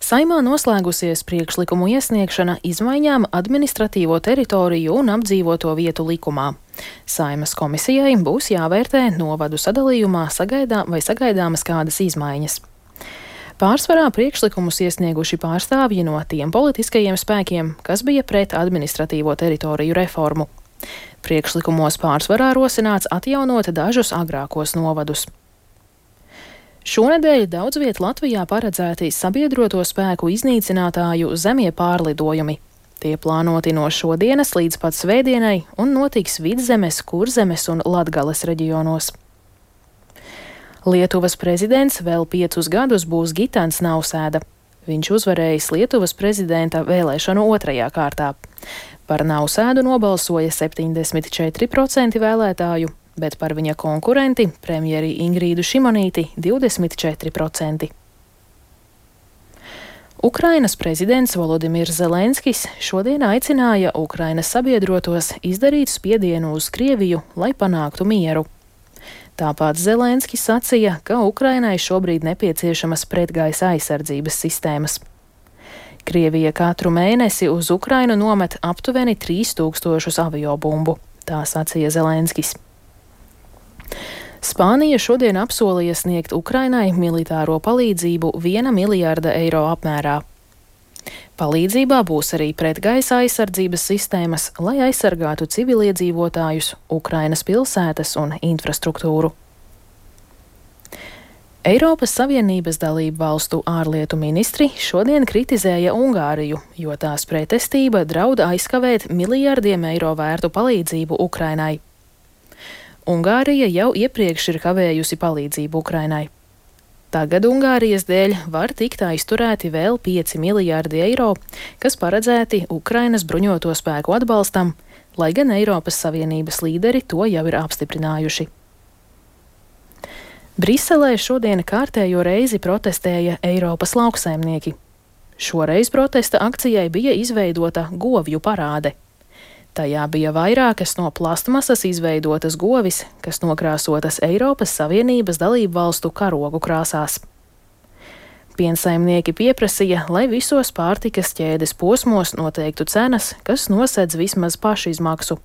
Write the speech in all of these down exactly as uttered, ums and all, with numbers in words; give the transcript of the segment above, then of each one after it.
Saeimā noslēgusies priekšlikumu iesniegšana izmaiņām administratīvo teritoriju un apdzīvoto vietu likumā. Saeimas komisijai būs jāvērtē novadu sadalījumā sagaidā vai sagaidāmas kādas izmaiņas. Pārsvarā priekšlikumus iesnieguši pārstāvji no tiem politiskajiem spēkiem, kas bija pret administratīvo teritoriju reformu. Priekšlikumos pārsvarā rosināts atjaunot dažus agrākos novadus. Šonedēļ daudz viet Latvijā paredzēti sabiedroto spēku iznīcinātāju zemie pārlidojumi. Tie plānoti no šodienas līdz pat svētdienai un notiks Vidzemes, Kurzemes un Latgales reģionos. Lietuvas prezidents vēl piecus gadus būs Gitans Nausēda. Viņš uzvarējis Lietuvas prezidenta vēlēšanu otrajā kārtā. Par Nausēdu nobalsoja septiņdesmit četri procenti vēlētāju, bet par viņa konkurenti, premjeri Ingrīdu Šimonīti, divdesmit četri procenti. Ukrainas prezidents Volodimirs Zelenskis šodien aicināja Ukrainas sabiedrotos izdarīt spiedienu uz Krieviju, lai panāktu mieru. Tāpat Zelenskis sacīja, ka Ukrainai šobrīd nepieciešamas pretgaisa aizsardzības sistēmas. Krievija katru mēnesi uz Ukrainu nomet aptuveni trīs tūkstošus aviobumbu, tā sacīja Zelenskis. Spānija šodien apsolīja sniegt Ukrainai militāro palīdzību viena miljārda eiro apmērā. Palīdzībā būs arī pretgaisa aizsardzības sistēmas, lai aizsargātu civiliedzīvotājus, Ukrainas pilsētas un infrastruktūru. Eiropas Savienības dalību valstu ārlietu ministri šodien kritizēja Ungāriju, jo tās pretestība draud aizkavēt miljardiem eiro vērtu palīdzību Ukrainai. Ungārija jau iepriekš ir kavējusi palīdzību Ukrainai. Tagad Ungārijas dēļ var tikt aizturēti vēl pieci miljārdi eiro, kas paredzēti Ukrainas bruņoto spēku atbalstam, lai gan Eiropas Savienības līderi to jau ir apstiprinājuši. Briselē šodien kārtējo reizi protestēja Eiropas lauksaimnieki. Šoreiz protesta akcijai bija izveidota govju parāde. Tajā bija vairākas no plastmasas izveidotas govis, kas nokrāsotas Eiropas Savienības dalību valstu karogu krāsās. Piensaimnieki pieprasīja, lai visos pārtikas ķēdes posmos noteiktu cenas, kas nosedz vismaz pašizmaksu,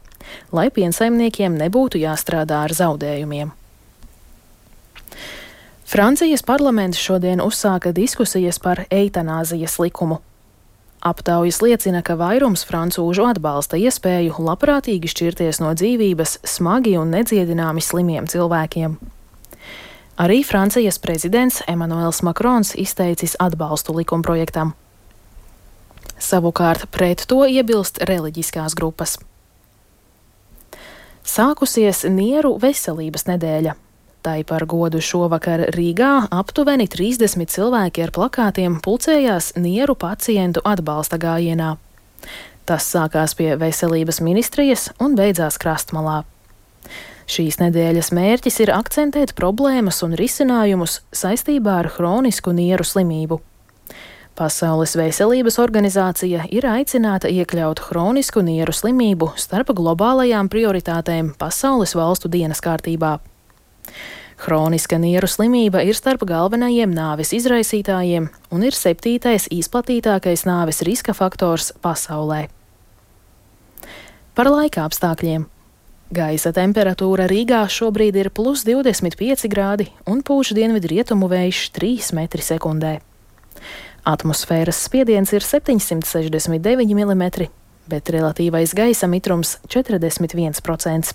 lai piensaimniekiem nebūtu jāstrādā ar zaudējumiem. Francijas parlaments šodien uzsāka diskusijas par eitanāzijas likumu. Aptaujas liecina, ka vairums francūžu atbalsta iespēju labprātīgi šķirties no dzīvības smagi un nedziedināmi slimiem cilvēkiem. Arī Francijas prezidents Emmanuels Macrons izteicis atbalstu likumprojektam. Savukārt pret to iebilst reliģiskās grupas. Sākusies Nieru veselības nedēļa. Tai par godu šovakar Rīgā aptuveni trīsdesmit cilvēki ar plakātiem pulcējās nieru pacientu atbalsta gājienā. Tas sākās pie veselības ministrijas un beidzās Krastmalā. Šīs nedēļas mērķis ir akcentēt problēmas un risinājumus saistībā ar hronisku nieru slimību. Pasaules veselības organizācija ir aicināta iekļaut hronisku nieru slimību starp globālajām prioritātēm pasaules valstu dienas kārtībā. Hroniska nieru slimība ir starp galvenajiem nāves izraisītājiem un ir septītais izplatītākais nāves riska faktors pasaulē. Par laika apstākļiem. Gaisa temperatūra Rīgā šobrīd ir plus divdesmit pieci grādi un pūš dienvidu rietumu vējš trīs metri sekundē. Atmosfēras spiediens ir septiņsimt sešdesmit deviņi milimetri, bet relatīvais gaisa mitrums četrdesmit viens procents.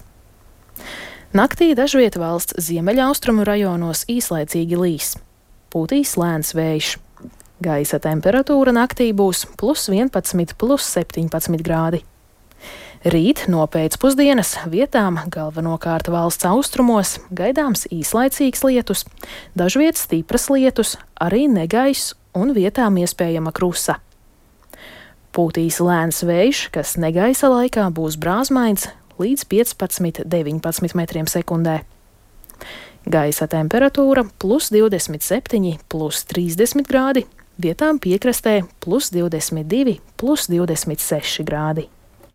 Naktī dažviet valsts ziemeļaustrumu rajonos īslaicīgi līs. Pūtīs lēns vējš. Gaisa temperatūra naktī būs plus vienpadsmit, plus septiņpadsmit grādi. Rīt no pēcpusdienas vietām galvenokārt valsts austrumos gaidāms īslaicīgs lietus, dažviet stipras lietus, arī negaiss un vietām iespējama krusa. Pūtīs lēns vējš, kas negaisa laikā būs brāzmains, līdz piecpadsmit, deviņpadsmit metriem sekundē. Gaisa temperatūra plus divdesmit septiņi, plus trīsdesmit grādi, vietām piekrastē plus divdesmit divi, plus divdesmit seši grādi.